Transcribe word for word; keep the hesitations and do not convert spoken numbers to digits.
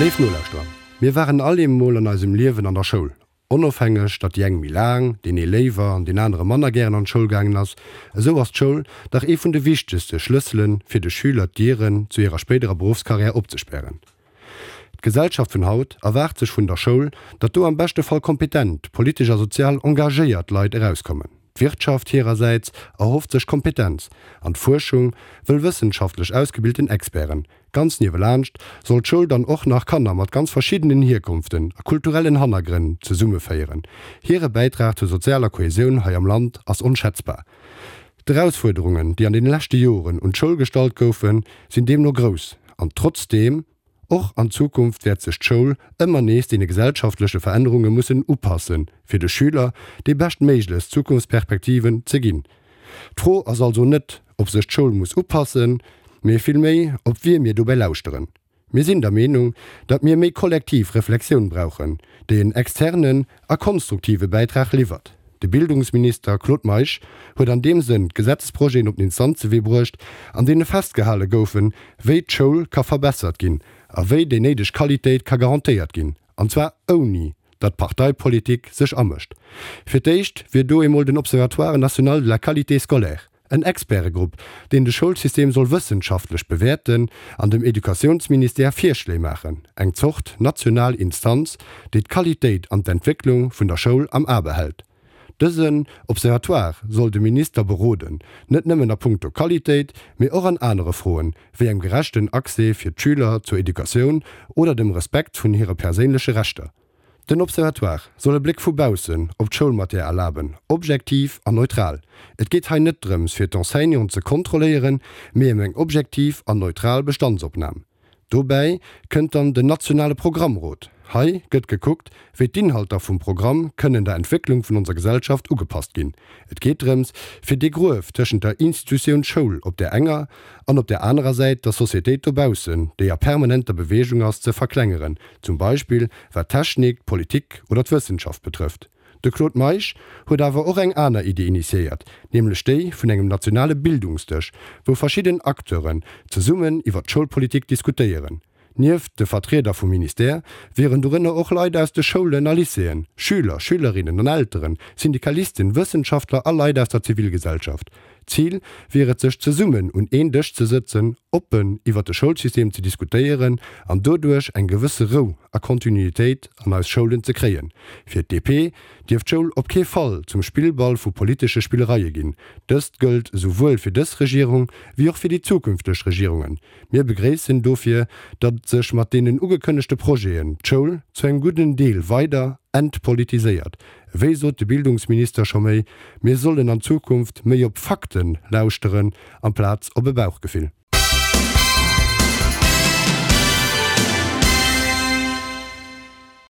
Léif Nolauschterer, mir waren all eemol an eisem Liewen an der Schoul. Onofhängeg, datt déi eng méi laang, deen ee léiwer an deen anere manner gären an d'Schoul gaangen ass, esou ass d'Schoul dach ee vun de wichtegste Schlëssele fir de Schüler d'Dieren zu hirer spéiderer Beruffskarriär opzespären. D'Gesellschaft vun haut erwaart sech vun der Schoul, datt do am beschte Fall kompetent, politesch a sozial engagéiert Leit erauskommen. D'Wirtschaft hirersäits erhofft sech Kompetenz, an d'Fuerschung wëll wëssenschaftlech ausgebilten Experten. Ganz niewelaanscht soll d'Schoul dann och nach Kanner mat ganz verschiddenen Hierkonften a kulturellen Hannergrënn zesummeféieren. Hire Bäitrag zur sozialer Kohäsioun hei am Land ass onschätzbar. D'Erausfuerderungen, déi an deene leschte Joren un d'Schoul gestallt goufen, sinn deemno grouss. An trotzdeem, och an Zukunft wäert sech d'Schoul ëmmer nees deene gesellschaftleche Verännerunge mussen upassen, fir de Schüler déi beschtméiglechst Zukunftsperspektiven ze ginn. D'Fro ass also net, ob sech d'Schoul muss upassen, mee villméi, op wie mir dobäi lauschteren. Mir sinn der Meenung, datt mir méi kollektiv Reflexioun brauchen, déi en externen a konstruktive Bäitrag liwwert. De Bildungsminister Claude Meisch huet an deem Sënn Gesetzesprojeten op den Instanzewee bruecht, an deene festgehale goufen, wéi d'Schoul ka verbessert ginn a wéi déi néideg Qualitéit ka garantéiert ginn, an zwar ouni datt Parteipolitik sech amëscht. Fir d'éischt wier do emol den Observatoire national de la qualité scolaire, en Expertegrupp, deen de Schoulsystem soll wëssenschaftlech bewäerten an dem Educatiounsministère Virschléi maachen, eng Zort national Instanz, déi d'Qualitéit an d'Entwécklung vun der Schoul am A behält. Dësen Observatoire soll de Minister beroden, net nëmmen a punkto Qualitéit, mee och an anere Froen, wéi engem gerechten Accès fir d'Schüler zur Educatioun oder dem Respekt vun hire perséinleche Rechter. Den Observatoire soll e Bléck vu baussen op d'Schoulmatière erlaben, objektiv an neutral. Et geet hei net drëms, fir d'Enseignanten ze kontrolléieren, mee ëm eng objektiv an neutral Bestandsopnam. Dobäi kënnt dann den nationale Programmrot. Hei gëtt gekuckt, wéi d'Inhalter vum Programm kënnen der Entwécklung vun onser Gesellschaft ugepasst ginn. Et geet drëms, fir dee Gruef tëschent der Institutioun Schoul op där enger an op där anerer Säit der Societéit dobaussen, déi a permanenter Beweegung ass, ze verklengeren, zum Beispill wat d'Technik, d'Politik oder d'Wëssenschaft betrëfft. De Claude Meisch huet awer och eng aner Iddi initiéiert, nämlech déi vun engem nationale Bildungsdësch, wou verschidden Acteuren zesummen iwwer d'Schoulpolitik diskutéieren. Nieft de Vertrieder vum Ministère wieren dorënner och Leit aus de Schoulen a Lycéeën, Schüler, Schülerinnen an Elteren, Syndikalisten, Wëssenschaftler a Leit aus der Zivilgesellschaft. Zil wier et sech zesummen un een Dësch ze sëtzen, oppen iwwer de Schoulsystem ze diskutéieren an doduerch eng gewësse Rou a Kontinuitéit an eis Schoulen ze kréien. Fir d'DP dierf d'Schoul op kee Fall zum Spillball vu politesche Spillereie ginn. Dëst gëllt esouwuel fir dës Regierung wéi och fir déi zukünfteg Regierungen. Mir begréissen dofir, datt sech mat deenen ugekënnegte Projeten d'Schoul zu engem gudden Deel weider entpolitiséiert. Wéi sot de Bildungsminister scho méi, mir sollen an Zukunft méi op Fakten lauschteren amplaz op e Bauchgefill.